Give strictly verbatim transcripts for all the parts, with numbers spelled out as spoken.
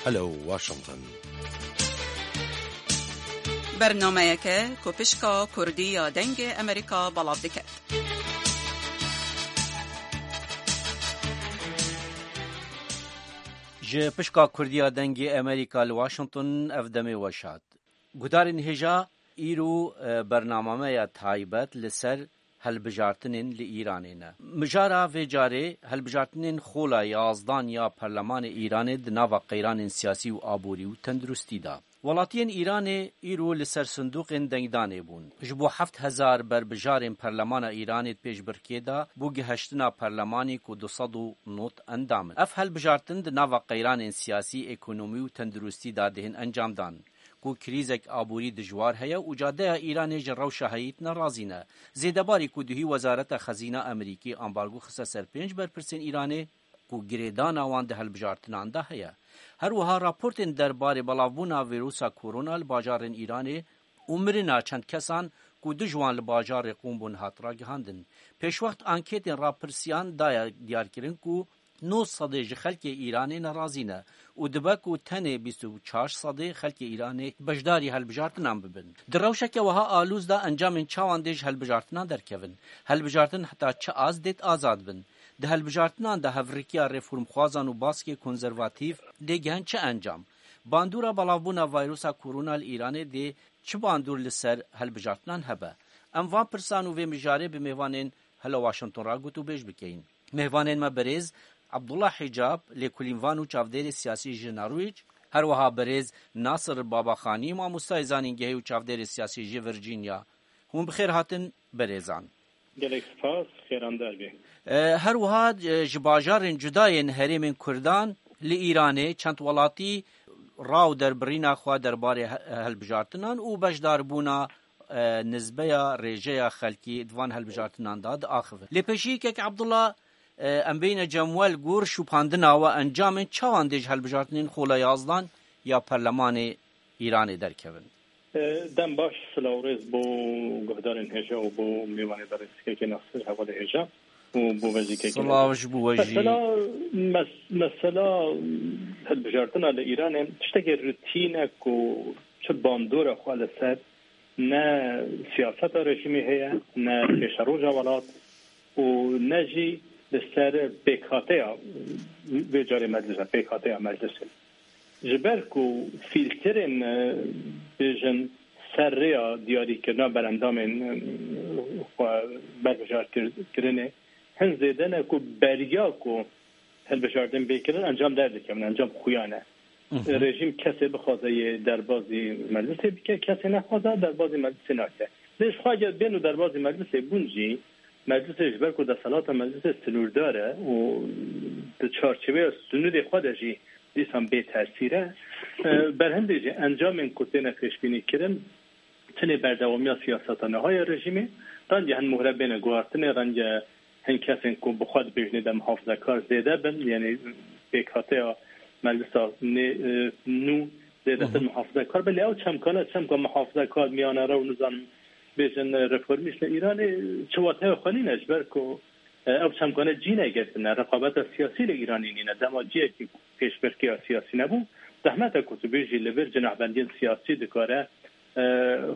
Hello Washington. Bernameyeke ku pişka Kurdî ya Dengê Amerîka belav dike. Ji pişka Kurdî ya Dengê Amerîka li Washington ev demê weş hat. Guhdarên hêja, îro, e, bernameya taybet li ser hilbijartinên li Îranê ne. Mijara vê carê hilbijartinên xola yazdan ya Perlemanê Îranê di nava qeyranên siyasî û aborî û tenduristî de. Welatiyên Îranê îro li ser sindoqên dengdanê bûn. Ji bo heft hezar berbijarên Perlemana Îranê di pêşbirkê de bo gihiştina perlemanî ku du sed û nod endam in. Ev hilbijartin di nava qeyranên siyasî, ekonomî û tenduristî de dihên encamdan. Ku krîzek aborî dijwar heye û cadeya Îranê ji rewşa heyî nerazî ne. Zêdebarî ku duhî Wezareta Xezîna Amerîkî ambargo xiste ser pênc berpirsên Îranê ku girêdana wan di hilbijartinan de heye. Her wiha raportên derbarê belavbûna vîrusa korona li bajarên Îranê û mirina çend kesan ku du ji wan li bajarê Qûm bûn hat ragihandin. Pêşwext anketên rapirsiyan daye diyarkirin ku nod sedê ji xelkê Îranê nerazî ne û dibe ku tenê bîst û çar sedê xelkê Îranê beşdarî hilbijartinan bibin. Di rewşeke wiha alûz de encamên çawan dê ji hilbijartinan derkevin? Hilbijartin heta çi az dê azad bin? Di hilbijartinan de hevrikiya reformxwazan û baskê konservatîf dê gihen çi encam? Bandora belavbûna vayrusa korona li Îranê dê çi bandor li ser hilbijartinan hebe? Em van pirsan û vê mijarê bi mêvanên Hello Washington re gotûbêj bikeyin. Mêvanên me birêz Abdullah Hicab, lêkolînvan û çavdêrê siyasî ji Norwîc, her wiha birêz Nasir Babaxanî, mamostayê zanîngehê û çavdêrê siyasî ji Virginia. Hûn bi xêr hatin birêzan. Gelek spas, xêrandar bê. E, her wiha, e, ji bajarên cuda yên herêmên Kurdan li Îranê çend welatî ra û derbirîna xwe derbarê he-, hilbijartinan û beşdarbûna, e, nizbeya rêjeya xelkî di van hilbijartinan de diaxivin. Lê pêşî kek Abdullah, e, em bêyne cem we li gor şûpandina we encamên çawan dê ji hilbijartinên xola yazdan ya Perlemanê Îranê derkevin. E, dem baş, silav û rêz bo guhdarên hêja û bo mêvanê berêz kekê Nasir hevalê hêja û bo we jî kekê Silav ji bo we jî. Mesela, mes-, mesela hilbijartina li Îranê tiştekê rutîn e ku çi bandora xwe li ser ne siyaseta rejîmê heye, ne pêşeroja welat û ne jî li ser pêkhateya vê carê meclisa, pêkhateya meclisê. Ji ber ku fîlterên, e, bêjin ser rêya diyarîkirina berendamên, e, xwe berbijar kir-, kirinê hin zêde ne ku beriya ku hilbijartin bê kirin encam derdikevin, encam xuya ne. Hı hı. Rejîm kesê bixwaze yê derbazî meclisê bike, kesê nexwaze derbazî meclisê nake. Lê ji xwe eger bên û derbazî meclisê bûn jî, meclisê ji ber ku desthilata meclisê sinûrdar e û di çarçeveya sinûrê xwe de jî dîsan bê tesîr e, e, berhindê jî encamên ku têne pêşbînî kirin, tenê berdewamiya siyaseta niha ya rejîmê, renge hin mohre bêne guhartinê, renge hin kesên ku bi xwe dibêjinê de muhafizekar zêde bin, yanî pêkhateya meclisa nê, e, nû zêdetir Hı hı. muhafizekar bin. Lê ew çemkane, çemka muhafizekar, miyanerew, nizanim bêjin, e, reformîst li Îranê çi wateya xwe nîne, ji ber ku, e, ew çemkane cî negirtine, reqabeta siyasî li Îranê nîne. Dema ciyekî pêşbirkiya siyasî nebû, zehmet e ku tu bêjî li vir cinahbendiyên siyasî dikare, e,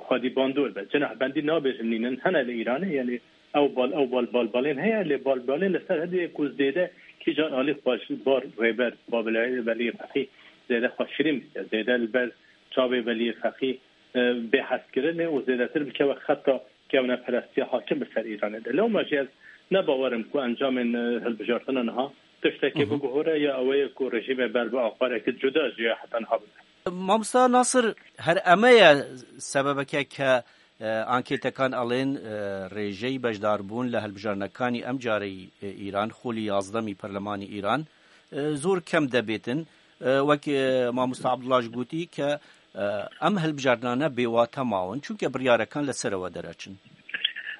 xwedî bandor be. Cinahbendî nabêjim nînin, hene li Îranê, yanî ew bal, ew bal, balbalên heye, lê balbalên li ser hindê ku zêde kîjan alî xwe ji bar rêber Babilê Velî Feqî zêde xwe şirîn bike, zêde li ber çavê Velî Feqî, e, bê hezkirinê û zêdetir bikeve xeta kevneperestiya hakim bi ser Îranê de. Lewma jî ez ne bawer im ku encamên, e, hilbijartina niha tiştekê Hı hı. biguhore ya ew ê ku rejîmê ber bi aqareke cuda ji ya heta niha bibe. Mamosta Nasir, her eme ye sebebeke ke, e, ankêtekan elên, e, rêjeyî beşdarbûn li hilbijarnekanî em careyî, e, Îran, xolî yazdemî perlemanî Îran, e, zor kem debêtin. E, wek, e, Mamosta Abdullah jî gotî ke, e, em hilbijartinane bêwate mawin, çunke biryarekan li ser ewe dereçin.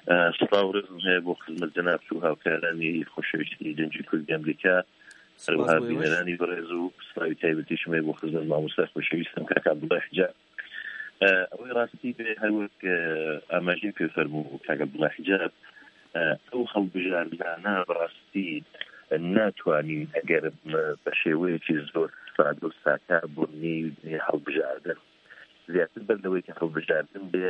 E, spas û rêzim heye bo xizmet cenab tu û hawkeranî xweşewîstî Gencî Kurd Emrîka. Her Spas wiha bo we. Bîneranî birêz û slavî taybetî ji me bo xizmet mamoste xweşewîstim kak Abdullah Hica. E, ew ê rastî be her wek, e, em jî pê fermû kak Abdullah Hica. E, ew hilbijartina bi rastî ناتوانین ئەگەر بە شێوەیەکی زۆر سادە و ساکار بۆ نێوی هەڵبژاردن، زیاتر بەر لەوەی کە هەڵبژاردن بێ،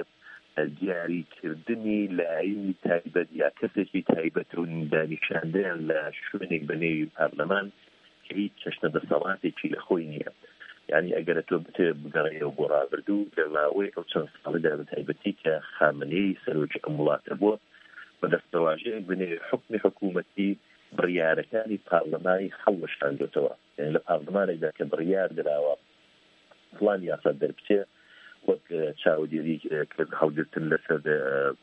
دیاریکردنی لایەنی تایبەت یا کەسێکی تایبەت و دانیشاندنیان لە شوێنێک بە نێوی پارلەمان کە هیچ چەشنە دەسەڵاتێکی لە خۆی نییە. یعنی ئەگەر تۆ بتێ بگەڕێەوە بۆ ڕابردوو، لە ماوەی ئەو چەند ساڵیدا بە تایبەتی کە خامنەی سەرۆکی ئەم وڵاتە بووە، بە دەستەواژەیەک بە نێوی حکمی حکوومەتی بڕیارەکانی پارلەمانی هەڵوەشاندوێتەوە. یعنی لە پارلەمانێکدا کە بڕیار دراوە فلان یاسا دەربچێ، وەک، ئە، چاودێری، ئە، کرد هەڵگرتن لەسەر، ئە،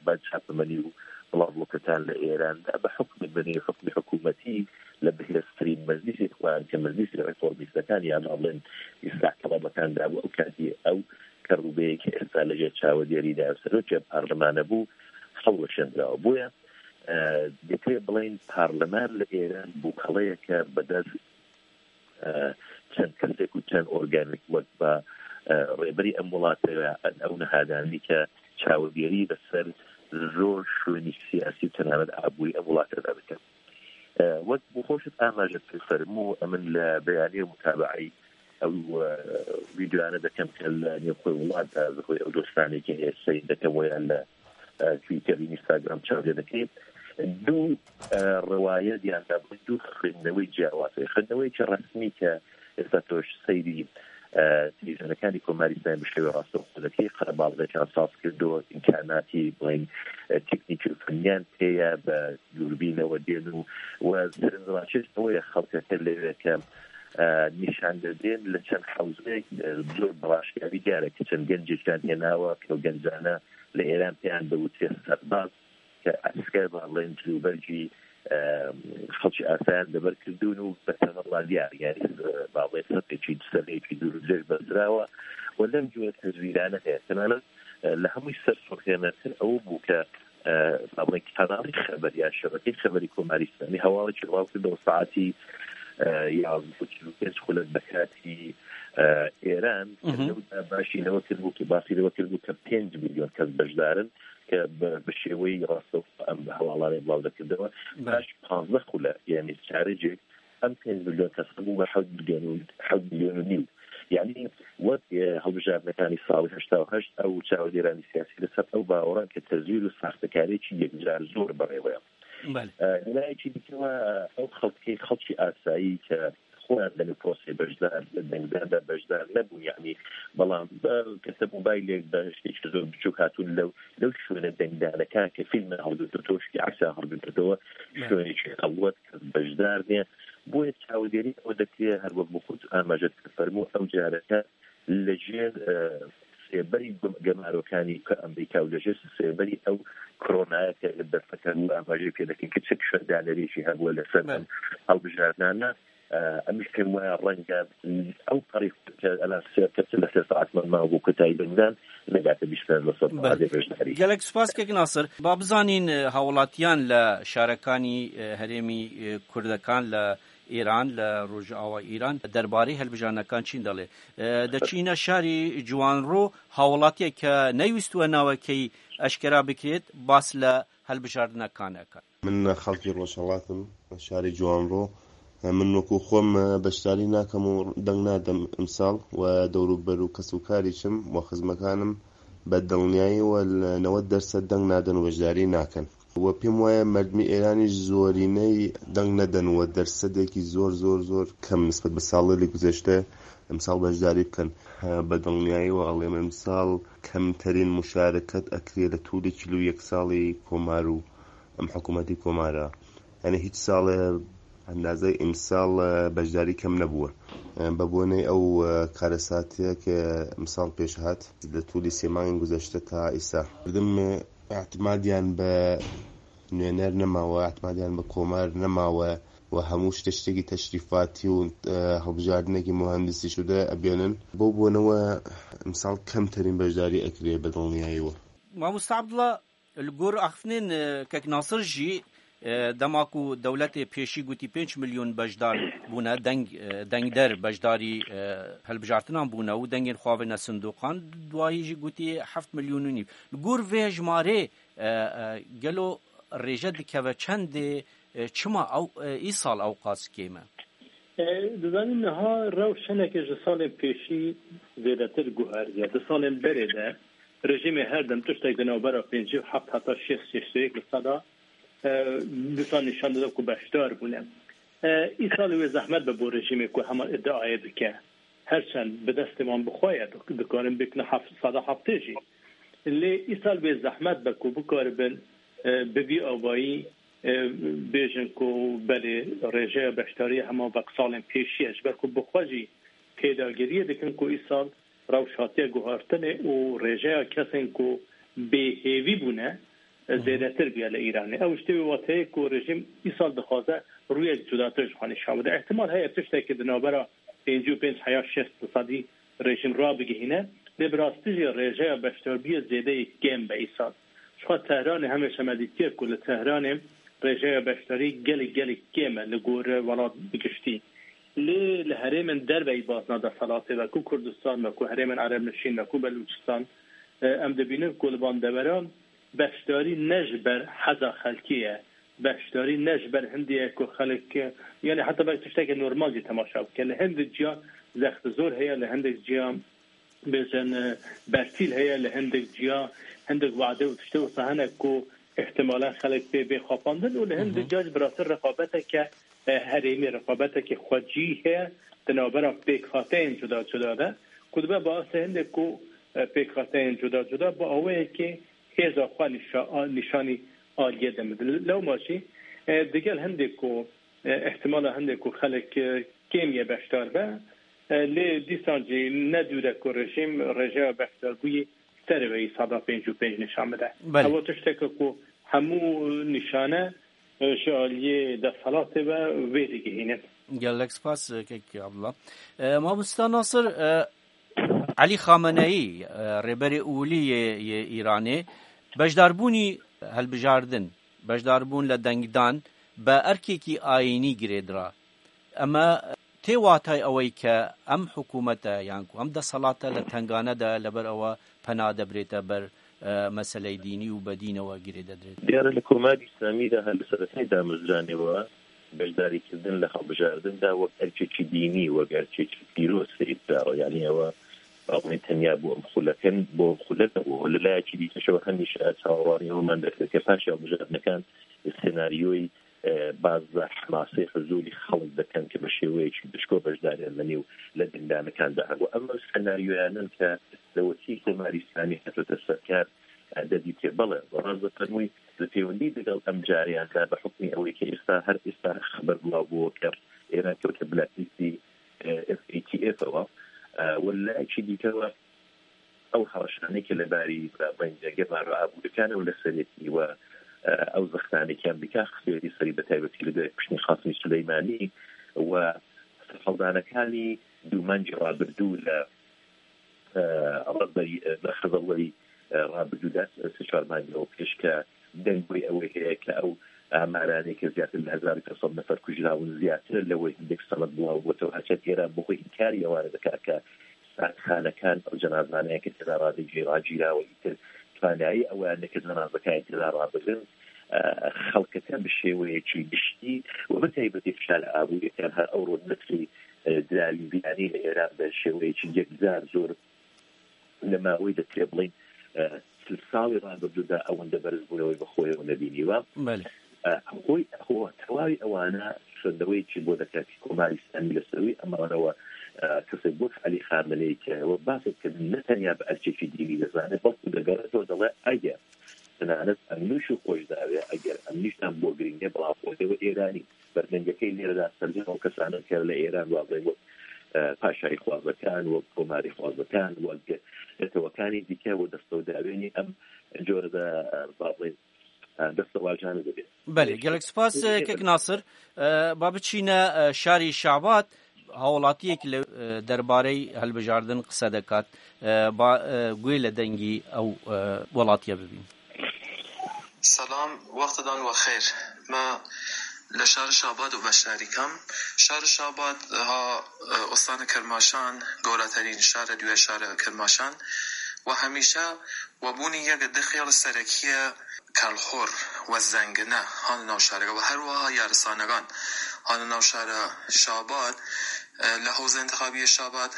بە چاپەمەنی و بڵاوبووکەتان لە ئێراندا بە حکومت بە نێوی حکمی حکوومەتی لە بەهێزترین مەجلیسی خوان کە مەجلیسی ڕێفۆرمیستەکان یان ئەڵێن ئیسلاح تەڵەبەکاندا بوو. ئەو کاتی ئەو کە ڕووبەیە کە ئێستا لەژێر چاودێریدا سەرۆکی پارلەمانە بوو، هەڵوەشێنراوە. بۆیە، ئە، دەکرێت بڵێن پارلەمان لە ئێران بووکەڵەیەکە بەدەست، ئە، چەند کەسێک و چەند ئۆرگانێک وەک بە، ئە، ڕێبەری ئەم وڵاتەوە ئەو نەهادانی کە چاودێری بەسەر زۆر شوێنی سیاسی و تەنانەت ئابووری ئەم وڵاتەدا بکەن. ئە، وەک بۆ خۆشت ئاماژە پێ فەرموو، ئەمن لە بەیانیە متابعی ئەو، ئە، ڤیدیۆیانە دەکەم کە لە نێوخۆی وڵاتدا، خۆی ئەو دۆستانێکی هەیە سەیر دەکەم وەیان لە، ئە، تویتەر، ئینستاگرام چاودێر دەکەین. دوو، ئە، ڕەوایەت یان دابووی دوو خوێندنەوەی جیاواز هەیە. خوێندنەوەیەکی ڕەسمی کە ئێستا تۆش سەیری، ئە، تەلەڤیزیۆنەکانی کۆماری ئیسلامی بە شێوەی ڕاستەوخۆ دەکەی، قەرەباڵغێکیان ساز کردووە، ئیمکاناتی، بڵێن، ئە، تەکنیکی و فەنیان پێیە، بە دووربینەوە دێن و، و سەرنجڕاکێش ئەوەیە خەڵکەکە لەوێ کە، ئە، نیشان دەدرێن لە چەند حەوزەیەک، ئە، زۆر بەڕاشکاوی دیارە کە چەند گەنجێکیان هێناوە کە ئەو گەنجانە لە ئێران پێیان دەوترێت سەرباز، کە ئەسکەر با بڵێن جلوبەرگی، ئە، خەڵکی ئاسایان دەبەر کردوون و بە تەمەڵا دیار، یعنی، ئە، با بڵێن سەفێکی، سەفێکی دوور و درێژ بەستراوە و لەم جوێ تەزویرانە هەیە. تەنانەت، ئە، لە هەمووی سەرسوڕهێنەرتر ئەوە بوو کە، ئە، با بڵێن کاناڵی خەبەر یا شەبەکەی خەبەری کۆماری ئیسلامی هەواڵێکی بڵاو کردەوە ساعەتی، ئە، یازدە و چل و پێنج خولەک بە کاتی، ئە، ئێران، کە مهم. لەودا باشی لەوە کردبوو کە باسی لەوە کردبوو کە پێنج میلیۆن کەس بەشدارن، کە بە، بە شێوەی ڕاستەوخۆ ئەم هەواڵانەی بڵاو دەکردەوە. بەڵێ. پاش پازدە خولە، یعنی چارەجێک، ئەم پێنج میلیۆن کەس بوو بە حەوت میلیۆن و، حەوت میلیۆن و نیو. یعنی وەک، ئێ، هەڵبژاردنەکانی ساڵی هەشتا و هەشت، ئەو چاودێرانی سیاسی لەسەر ئەو باوەڕان کە تەزویر و ساختەکاریی یەکجار زۆر بەڕێوەیە. بەڵێ. ئە، لە لایەکی دیکەوە ئەو خەڵکەی، خەڵکی ئاسایی کە خۆیان لەنێو پرۆسەی بەشدار، لە دەنگداندا بەشدار نەبوون، یعنی، بەڵام بە، کەسە مۆبایلێک بە شتێکی زۆر بچووک هاتوون لەو، لەو شوێنە دەنگدانەکان کە فیلمە هەڵگرتووەتەوە، شتی عەکسە هەڵگرتووەتەوە، بەڵێ. شوێنێکی خەڵوەت کە بەشدار نیە. بۆیە چاودێری ئەوە دەکرێت، هەر وەک بۆ خۆت ئاماژەت کرد، فەرموو ئەو جارەکە لەژێر، ئە، سێبەری گەم-، گەمارۆکانی کە ئەمریکا و لەژێر سێبەری ئەو کۆرۆنایە کە دەستەکان و ئاماژەی پێ دەکەین کە چ شەردانەرێکی هەبووە لەسەر بەڵێ. ئەم هەڵبژاردنانە. ئە، ئەمیش پێم وایە ڕەنگە ئەو پەڕی کە ئەلان سێ کەس لە سێ ساعتمان ماوە بۆ کۆتایی دەنگدان نەگاتە بیست و پێنج لە سەد بەڵێ. بەشداری. گەلەک سوپاس کەک ناسر. با بزانین، ئە، هاوڵاتیان لە شارەکانی، ئە، هەرێمی، ئە، کوردەکان لە ئێران، لە ڕۆژئاوا ئێران، دەربارەی هەلبژاردنەکان چین دەڵێ. ئە، دەچینە شاری جوانڕۆ، هاوڵاتیەک کە نەیویستووە ناوەکەی ئەشکەرا بکرێت، باس لە هەلبژاردنەکان ئەکات. من خەڵکی ڕۆژهەڵاتم، شاری جوانڕۆ. من وەکو خۆم بەشداری ناکەم و دەنگ نادەم ئەمساڵ و دەوروبەر و کەس و کاریشم و خزمەکانم بە دڵنیاییەوە لە نەوەد دەرسەد دەنگ نادەن و بەشداری ناکەن. و پێم وایە مەردمی ئێرانیش زۆرینەی دەنگ نەدەن و دەرسەدێکی زۆر، زۆر، زۆر کەم نسبەت بە ساڵی گوزەشتە ئەمساڵ بەشداری بکەن. بە دڵنیاییەوە ئەڵێم ئەمساڵ کەمترین مشارکەت ئەکرێ لە توولی چل و یەک ساڵی کۆمار و ئەم حکوومەتی کۆمارە. یعنی هیچ ساڵێ ئەندازەی ئیمساڵ، ئە، بەشداری کەم نەبووە. ئە، بە بۆنەی ئەو، ئە، کارەساتەیە کە ئیمساڵ پێش هات لە توولی سێ مانگی گوزەشتە تا ئیسا. مردم، ئە، ئەعتمادیان بە نوێنەر نەماوە، ئەعتمادیان بە کۆمار نەماوە و هەموو شتە شتێکی تەشریفاتی و، ئە، هەڵبژاردنێکی مهندسی شدە ئەبێنن. بۆ بۆنەوە ئیمساڵ کەمترین بەشداری ئەکرێ بە دڵنیاییەوە. مامۆستا عەبدوڵڵا، Li gor axiftinên, e, kek Nasir jî, e, dema ku dewletê pêşî gotî pênc milyon beşdar bûne, deng, e, dengder beşdarî, e, hilbijartinan bûne û dengên xwe avêne sindoqan, duahî jî gotî heft milyon û nîv. Li gor vê hejmarê, e, e, gelo rêje dikeve çendê, E, çima ew, e, îsal ew qas kêm e? E, dizanî niha rewş hinekî ji salên pêşî zêdetir guheriye. Di salên berê de rejîmê her dem tiştek di navbera pêncî û heft heta şêst şêst û yek li seda, e, dîsa nîşan dide ku beşdar bûne. E, îsal wê zehmet be bo rejîmê ku hema îdiayê bike. Her çend bi destê wan bi xwe ye, dik-, dikarin bêkne heft, seda heftê jî. Lê îsal wê zehmet be ku bikaribin, e, bi vî avayî, e, bêjin ku belê rêjeya beşdariyê hema wek salên pêşî ye, ji ber ku bi xwe jî pêdagiriyê dikin ku îsal rewş hatiye guhartinê û rêjeya kesên ku bêhêvî bûne, e, zêdetir bûye li Îranê. Ew ji tê wê wateyê ku rejîm îsal dixwaze rûyek cudatir ji xwe nîşan bide. Îhtimal heye tiştekî di navbera pêncî û pênc heya şêst sedî rejîm rabigihîne, lê bi rastî jî rêjeya beşdarbiyê zêdeyê kêm be îsal. Ji xwe Tehranê hemêşe me dîtiye ku li Tehranê rêjeya beşdarî gelek, gelek kêm e li gor welat bi giştî. Lê li herêmên derveyî bazna desthilatê ve, ku Kurdistan ve, ku herêmên Erebnişîn ve, ku Belûçistan, e, em dibînin ku li van deveran beşdarî ne ji ber heza xelkê ye, beşdarî ne ji ber hindê ye ku xelk, e, yanî heta belkî tiştekê normal jî temaşa bike. Li hindik ciya zextizor heye, li hindik ciya bêjin, e, bertîl heye, li hindik ciya hindik wade û tiştê wisa hene ku îhtimalen xelk pê bê xapandin û li hindik ciya jî bi rastî reqabeteke, e, herêmî, reqabetekî xwecî heye di navbera pêkhateyên cuda cuda de ku dibe bi asê hindê ku, e, pêkhateyên cuda cuda bi awayekê hêza xwe nîşa-, a-, nîşanî aliyê de bidin. Lewma jî, e, digel hindê ku, e, îhtimala hindê ku xelk, e, kêmî ye beşdar be, e, lê dîsan jî ne dûr e ku rejîm rêjeya beşdarbûyî serê wê îsada pêncî û pênc nîşan bide. Belê. Ew tişteke ku hemû nîşane, e, ji aliyê desthilatê ve wê digihînin. Gelek spas, e, kek Abdullah. E, Mamosta Nasir, e, Elî Xameneyî, e, rêberê olî yê, yê Îranê, beşdarbûnî helbijardin, beşdarbûn li dengdan bi erkekî ayînî girêdira. Eme tê watay ewey ke em hikûmete yan ku em desthilate li tengane de, leber ewa pena de birête ber, e, meseleyê dînî û bi dînewe girêde dirêt. Diyar e, li Komarê Îslamî de her li seretiya damezranê we beşdarîkirin li hilbijardin de wek erkekî dînî, wek erkekî pîroz seyr kirawe. Yanî ewe, ba bûne tenya bo em xulek in, bo em xulek nebû. Li layekî dî jî ew hemîşe çaverwaniya wan dikir ke paşê hilbijardinekan senaryoyî, e, baz li hemasê huzûrî xelk dikin ke bi şêweyekî dişko beşdariya min û li dengdanikan de hebû. Ev senaryoyan in ke dewletî Komarê Îslamî hatote ser kar, e, de dîtê. Belê, rast difermûyî, li pêwendî digel em cariyan de bi hukmî ewê ke êsta, her êsta xeber belav bû ke Êran kewte blacklistî, e, F A T F ewa, e, û li layekî dîke we ew heweşanê ke li barî rêberên Cengê Rêberê Abûdikan û li serêtî we, e, ew zextanê ke Amerîka xistêtî serî, bi taybetî li dê kuştî Qasimî Suleymanî û serhildanekani dû mengê rabirdû li, e, rêberî, e, li Xizirlêrî, e, rabirdû de, e, sê çar mengê ew pêş ke deng wê ew ê heye ke ew amaranê ke zêdetir li hezar û pênc sed nefer kujrabûn, zêdetir li wê hindek senet belav bû. Te her çend Êran bi xwe înkarî ewanê dike ke sardxanekan, ew cenazaneyê ke têda radin jî ragîrawe, îtir twanayî ewan neke cenazekan têda rabirin, e, xelkeke bi şêweyekî giştî û bi taybetî fişal abûyê ke her ewro neslî, e, diravîn bîranî li Êran bi şêweyekî yekcar zor li maweyê de tê bڵین, e, sil salî rabirdû de ewende berzbûnewê bi xwe ew nebînî we. Belê. E, xwe, xwe tewayî ewana şandeweyekî bo deke Komarê Îslamî li ser wî, ema we, e, kesê wek Elî Xameneyî ke we basê dikirin ne tenya bi erkekî dînî dizane, belkû degere zor dile eger tenanet em nûş û xweş dawe, eger em nîştan bo girînge, bela xwe we Êranî. Berdengekey lêre de serjên ew kesan in ke li Êran wazayî wek, e, paşayî xwazekan, wek komarî xwazekan, wek netewekanî dîke û destewdawênî em cor de, e, bavê, e, destewajane dibê. Belê, gelek spas, e, kek Nasir. E, ba biçîne, e, şarî Şabat, hawlatiyek li, e, derbarey hilbijardin qise dekat. E, ba, e, guhê li dengî ew, e, welatiye bibîn. Selam, wextedan we xêr. Me li şarê Şabat û beşdarî kam. Şarê Şabat ha, e, ostana Kermaşan, golaterîn şare dûye şare Kermaşan. و هەمیشە وەبوونی یەک دخێڵ سەرەکیە کەڵخۆر و زەنگنە هان ناوشارەکە و هەروەها یارسانەکان هان ناوشارە شابات، لە حوزە انتخابیە شابات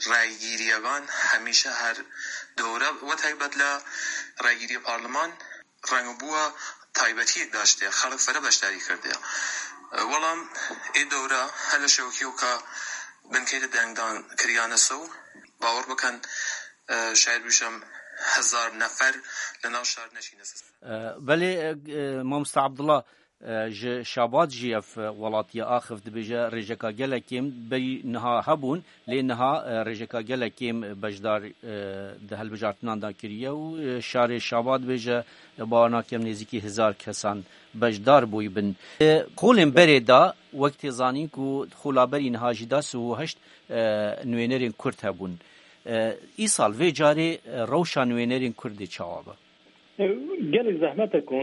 ڕایگیریەکان هەمیشە هەر دەورە وە تایبەت لە ڕایگیری پارلمان ڕەنگبووە تایبەتیەک داشتێ خەڵک فەرە بەشداری کردێ. وەڵام ئێ دەورە هەلە شەوکی و کە بنکەی لە دەنگدان کریانە سە و باوەڕ بکەن شاید بووشم هەزار نەفەر لە ناو شار نەشینە سەر. Belê, e, mamosta Abdullah, e, ji Şabat jî ev, e, welatiye axiv dibêje rêjeka gelek kêm berî niha hebûn, lê niha, e, rêjeka gelek kêm beşdar, e, di hilbijartinan de kiriye û, e, şarê Şabat dibêje, e, bawer nakim nêzîkî hezar kesan beşdar bûyî bin. E, xolên berê de wek tê zanîn ku xolaberî niha jî da sih û heşt, e, nûênerên Kurd hebûn. E, îsal vê carê, e, rewşa nûênerên Kurd ê çawa be? Gelek zehmet e ku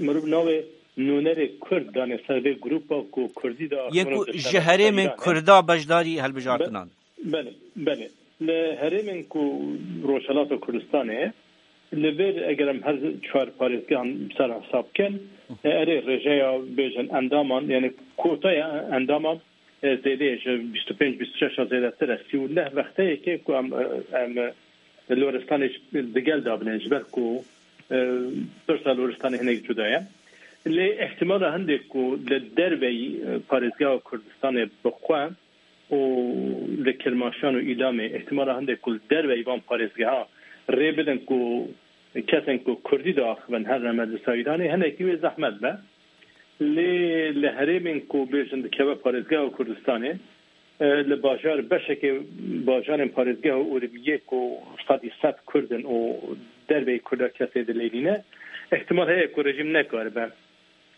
mirov navê nûnerê Kurd danê ser vê grûpa ku Kurdî de Yê ku ji herêmên Kurda beşdarî hilbijartinan. Belê, belê. Li herêmên ku Rojhelata Kurdistanê, li vêr eger em her çar parêzgehan ser hesab kin, e, erê rêjeya bêjin endaman, yani kotaya endaman, e, zêde ye, ji bîst û pênc bîst û şeş a zêdetir e. Sî û neh wexteyeke ku em, e, em, e, Loristanê ji, digel dabine, ji ber ku, e, pirsa Loristanê hinek cuda ye. Lê ihtimala hindê ku li derveyî, e, parêzgeha Kurdistanê bi xwe û li Kirmaşan û Îlamê, ihtimala hindê ku li derveyî van parêzgeha rê bidin ku kesên ku Kurdî diaxivin herin Meclisa Îranê, hinekî wê zehmet be. Lê li herêmên ku bêjin dikeve parêzgeha Kurdistanê, e, li bajar, beşekê bajarên parêzgeha Urmiyê ku sedî sed Kurd in û derveyî Kurda kesê dilê nîne, ihtimal heye ku rejîm nekaribe,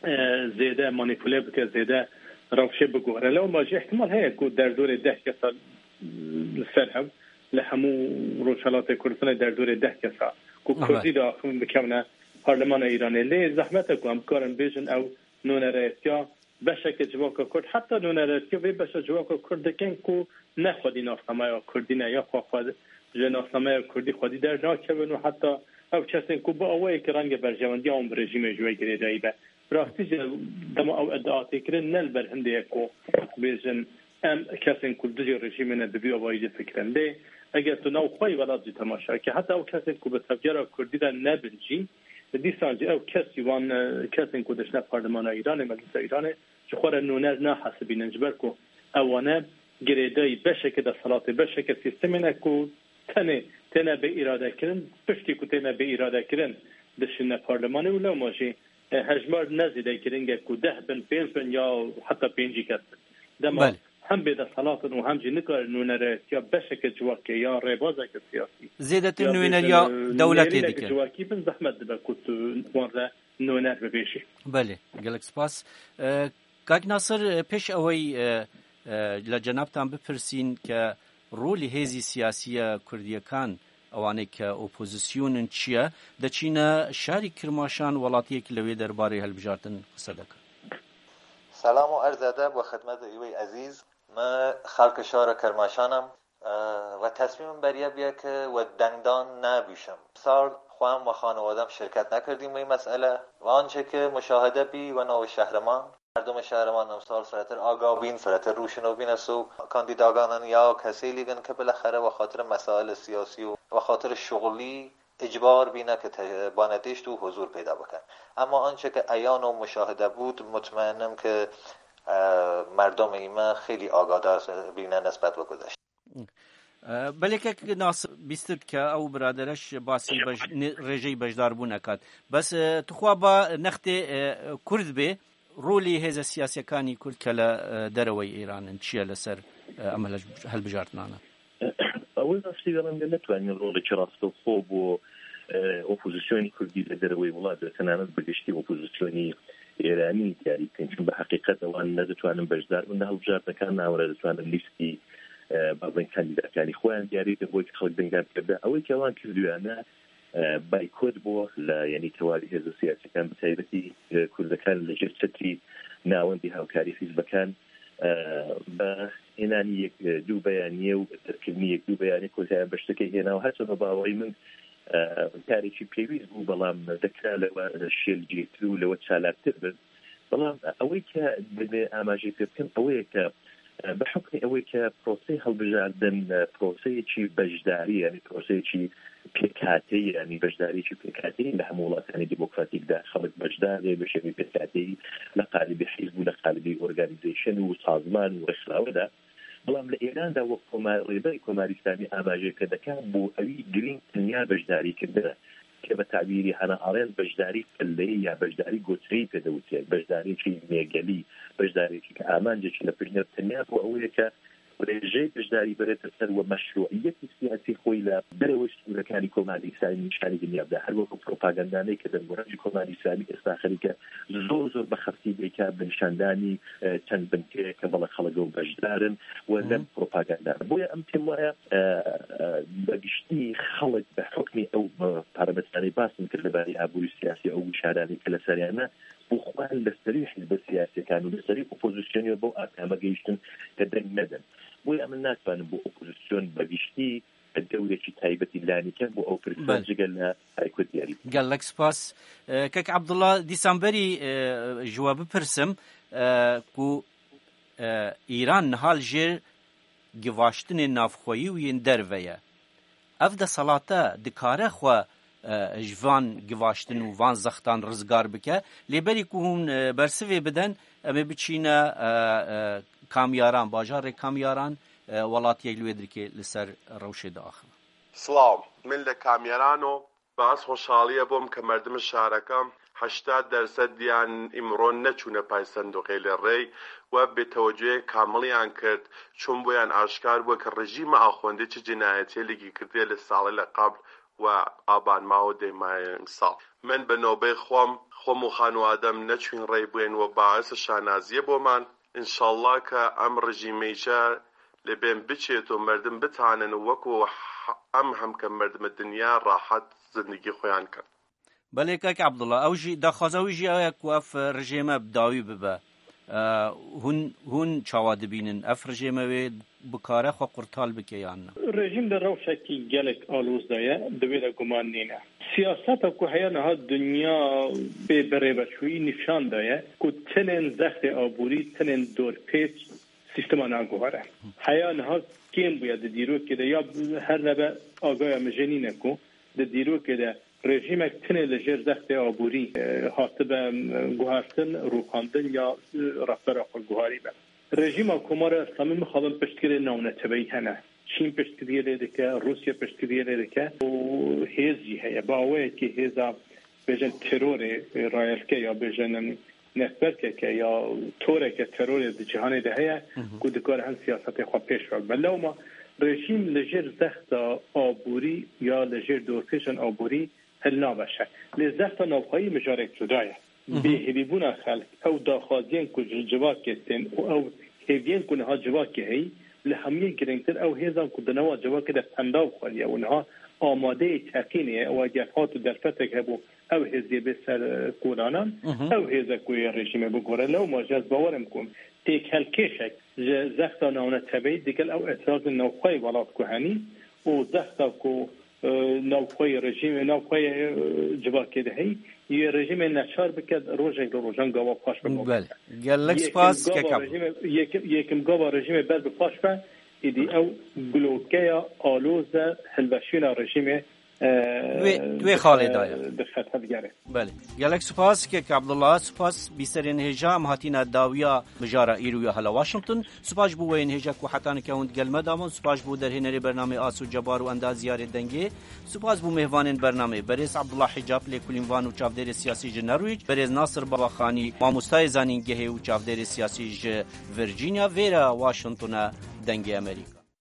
e, zêde manîpule bike, zêde rewşê bigore. Lewma jî ihtimal heye ku derdorê deh kesa li ser hev li hemû Rojhelatê Kurdistanê derdorê deh kesa ku Kurdî diaxivin bikevine parlemana Îranê. Lê zehmet e ku em bikarin bêjin ew nûnerayetiya beşeke civaka Kurd, heta nûnerayetiya vê beşa civaka Kurd dikin ku ne xwedî nasnameya Kurdî ne, ya xwe xwe ji nasnameya Kurdî xwedî dernakevin û heta ew kesên ku bi awayekî renge berjewendiya wan bi rejîmê ji wê girêdayî be. Bi rastî jî dema ew iddia tê kirin ne li ber hindê ye ku bêjin em kesên ku li dijî rejîmê ne bi vî awayî jî fikirin. Lê eger tu nav xwe yî welat jî temaşe ke, heta ew kesên ku bi tevgera Kurdî de nebin jî, dîsan jî ew kes jî wan, e, kesên ku diçine parlemana Îranê, meclisa Îranê ji xwe re nûner nahesibînin, ji ber ku ewane girêdayî beşeke desthilatê, beşeke sîstemê ne ku tenê têne bê îradekirin, piştî ku têne bê îradekirin dişine parlemanê û lewma jî, e, hejmar ne zêde giring e ku deh bin, pênc bin ya heta pêncî kes bin. Dema Belê. hem bêdesthilat in û hem jî nikarin nûnerayetiya beşeke civakê ya rêbazeke siyasî Zêdetir ya nûneriya bêjin, e, dewletê nêrîneke dike. civakî bin, zehmet dibe ku tu wan re nûner bibêjî. Belê, gelek spas. E, Kak Nasir, e, pêş ewey, e, e, li cenabtan bipirsîn ke rolî hêzî siyasî ya Kurdiyekan, ewanê ke opozîsyon in çi ye, diçîne şarî Kirmaşan, welatiyekî li wê derbarê hilbijartin qise dikin. Selam û erz edeb we xidmeta wî ezîz. Me xelkê şara Kermaşan im, e, ve tesmîmim beriye biye ke we dengdan nebîşim. Sar xwem we xanewade em şirket nekirdim wê mesele. Ve ançe ke muşahede bî we navê şehriman, merdumê şehriman emsal firetir aga bîn, firetir rûşino bîne so kandîdaganan ya kesê lîgin ke bilexere we xatir mesailê siyasî û we xatir şuxulî icbar bîne ke te-, banedişt û huzur peyda bikin. Ema ançe ke eyan û muşahede bût, mutmain im ke, e, merdomê me xêlî agadar bîne nisbet bi gudeşt. E, belê kek Nasir bîstir dike, ew biradereş basî bej-, ne-, rêjeyî beşdarbûn ekat. Bes, e, tu xwe ba nextê, e, Kurd bê, rolî hêze siyasiyekanî Kurd ke li, e, dereweyî Îran in, çi ye li ser, e, em hel-, helbijartinane? Ew rastî vê rengê netwanî rolekî rastexwe bo, e, opozisyonî Kurdî li dereweyî welat de, tenanet bi giştî opozisyonî Îranî diyarî bikin. Çimkî bi heqîqet ewan ne ditwanin beşdar bin di hilbijartinekana, ne ewan ditwanin lîstî, e, bazên kandîdakanî xwe yan diyarî bikin, bo ke xelk dengan bike. Ew ê ke ewan kirdiye ne, e, baykot bo li, yanî tewalî hêza siyasî kan, bi taybetî, e, Kurdekan li jêr çetrî navendî hawkarî hizbekan, بە هێنانی یەک دوو بەیانیە و دەرکردنی یەک دوو بەیانیە کۆتاییان بە شتەکەی هێنا و هەرچەندە باوەڕی من کارێکی پێویست بوو، بەڵام دەکرا لەوە شێلگیرتر و لەوە چالاکتر بن. بەڵام ئەوەی کە دەبێ ئاماژەی پێ بکەم ئەوەیە کە بە حکمی ئەوەی کە پرۆسەی هەڵبژاردن پرۆسەیەکی بەشداری، یعنی پرۆسەیەکی پێکاتەیی، یعنی بەشداریی پێکاتەیی لە هەموو وڵاتانی دیموکراتیکدا خەڵک بەشدارێ بە شێوەی پێکاتەیی لە قالبی حیزب و لە قالبی ئۆرگانیزیشن و سازمان و ڕێکخراوەدا. بەڵام لە ئێراندا وەک کۆمار ڕێبەری کۆماری ئیسلامی ئاماژەی پێ دەکات بۆ ئەوی گرنگ تەنیا بەشداریکردنە کە بە تعبیری هەنە ئاڵێن بەشداری پلەیی یا بەشداری گۆچەیی پێدەوترێت، بەشدارێکی مێگەلی، بەشدارێکی کە ئامانجێکی لە پشتێ تەنیا بۆ ئەوەیە کە ڕێژەی بەشداری بەرێتە سەر و مەشروعیەتی سیاسی خۆی لە دەرەوەی سنوورەکانی کۆماری ئیسلامی نیشانی دنیا بدا. هەر وەکو پرۆپاگەندانەی کە دەنگۆڕانی کۆماری ئیسلامی ئێستا خەریکە زۆر زۆر بە خەفتی دەیکا بە نیشاندانی چەند بنکەیە کە بەڵێ خەڵک و بەشدارن و لەم پرۆپاگەندا. بۆیە ئەم پێم وایە بەگشتی خەڵک بە حکمی ئەو پارامترانەی باسم کرد لەبارەی ئابووری سیاسی ئەو گوشارانی کە لەسەریانە بۆ خۆیان لەسەری حیزبە سیاسیەکان و لەسەری ئۆپۆزیسیۆنی بەو ئاکامە گەیشتن کە دەنگ نەدەن. بۆیە من ناتوانم بۆ ئۆپۆزیسیۆن بەگشتی دەورێکی تایبەتی لانی کەم بۆ ئەو پرسە بەڵێ. جگە لە هایکو دیاری. گەلەک سپاس. ئە، کەک عەبدوڵا، دیسان بەری، ئە، ژوە بپرسم، ئە، کو، ئە، ئیران نهال ژێر گیڤاشتنێ نافخۆیی و yên derve ye. Ev deselate dikare xwe, e, ji van givaştin û van zextan rizgar bike. Lê berî ku hûn, e, bersivê biden, em ê biçîne, e, e, Kamyaran, bajarê Kamyaran, e, welatiyek li wê dirkê li ser rewşê diaxive. Silav, min li Kamyaran o. باز خۆشحاڵیە بۆم کە مردم شارەکە هەشتا دەرسەد دیان ئیمڕۆ نەچوونە پای سندوقێ لە ڕێی و بێتەوەجوێ کامڵیان کرد، چون بۆیان ئاشکار بووە کە ڕژیمە ئاخۆندی چ جنایەتێ لێکی کردێ لە ساڵی لە قبل و ئابان ماوە دەیمایە ئیمساڵ. من بە نۆبەی خۆم، خۆم و خانوادەم نەچوین ڕێی بووین و باعث شانازیە بۆمان. ئینشاڵڵا کە ئەم ڕژیمەیشە لە بێن بچێت و مردم بتانن وەکو ح-، ئەم هەمکە مردمە دنیا ڕاحەت زندگی خۆیان کەن. بەلێ کاک عەبدوڵا، ئەو ژی، داخوازە ئەوی ژی ئەوەیە کو ئەف ڕژێمە بداوی ببە. ئە، هون، هون چاوا دبینن؟ ئەف ڕژێمە وێ بکارە خۆ قورتال بکە یان نە؟ Rejîm di rewşekî gelek aloz de ye, di wê de guman nîne. Siyaseta ku heya niha dinya bê birêveçûyî nîşan daye ku tinên zextê aborî, tinên dorpêç sîstema naguhere. Heya niha kêm bûye di dîrokê de, ya her nebe agaya min jê nîne ku di dîrokê de rejîmek tinê li jêr zextê aborî, e, hatibe, e, guhertin, rûxandin ya, e, rehbera xwe guharî be. Rejîma Komara Îslamî mixabin piştgirê navneteweyî hene. Çîn piştgiriyê lê dike, Rûsya piştgiriyê lê dike û hêz jî heye. Bi awayekî hêza, bêjin, terorê, e, rayelke ya bêjin, em, netwerkeke ya toreke terorê di cîhanê de heye Hı hı. ku dikare hin siyasetê xwe pêş ve bibe. Lewma rejîm li jêr zexta aborî ya li jêr dorpêçên aborî hilnaveşe. Lê zexta navxweyî mijarek cuda ye. Hı hı. Bêhêvîbûna xelk, ew daxwaziyên ku ji civakê tên û ew hêviyên ku niha civakê heyî, li hemiyê girîngtir ew hêzan ku di nava civakê de pendav xweriye û niha amadeyê teqînê ye, ew eger hat û derfetek hebû, ew hêziyê bê ser, e, kolanan, Hı hı. ew hêze ku yê rejîmê bigore. Lewma jî ez bawer im ku têkelkêşek ji zexta navneteweyî digel ew îtirazên navxweyê welat ku henî û zexta ku, e, navxweyê rejîmê, navxweyê, e, civakê de heyî, yê rejîmê neçar bike, rojek li rojan gava paş be. Belê. Gelek Yekim spas, gava kekam. rejîmê, yekim, yekim gava rejîmê ber bi paş be, îdî ew blokeya aloz e, hilweşîna rejîmê, e, Wê, wê dixe-, xalê daye. dixe tevgerê. Belê. Gelek spas, kek Abdullah. Spas bîserên hêja em hatîne dawiya mijara îro ya hela Washington. Spas ji bo weyên hêja ku heta nika hûn digel me da bûn. Spas ji bo derhênerê bernamê Aso Cebar û endaziyarê dengê. Spas bo mêvanên bernamê, berêz Abdullah Hicab, lêkolînvan û çavdêrê siyasî ji Norwich, berêz Nasir Babaxanî, mamostayê zanîngehê û çavdêrê siyasî ji Virginia, vêra Washington e, Dengê Amerîka.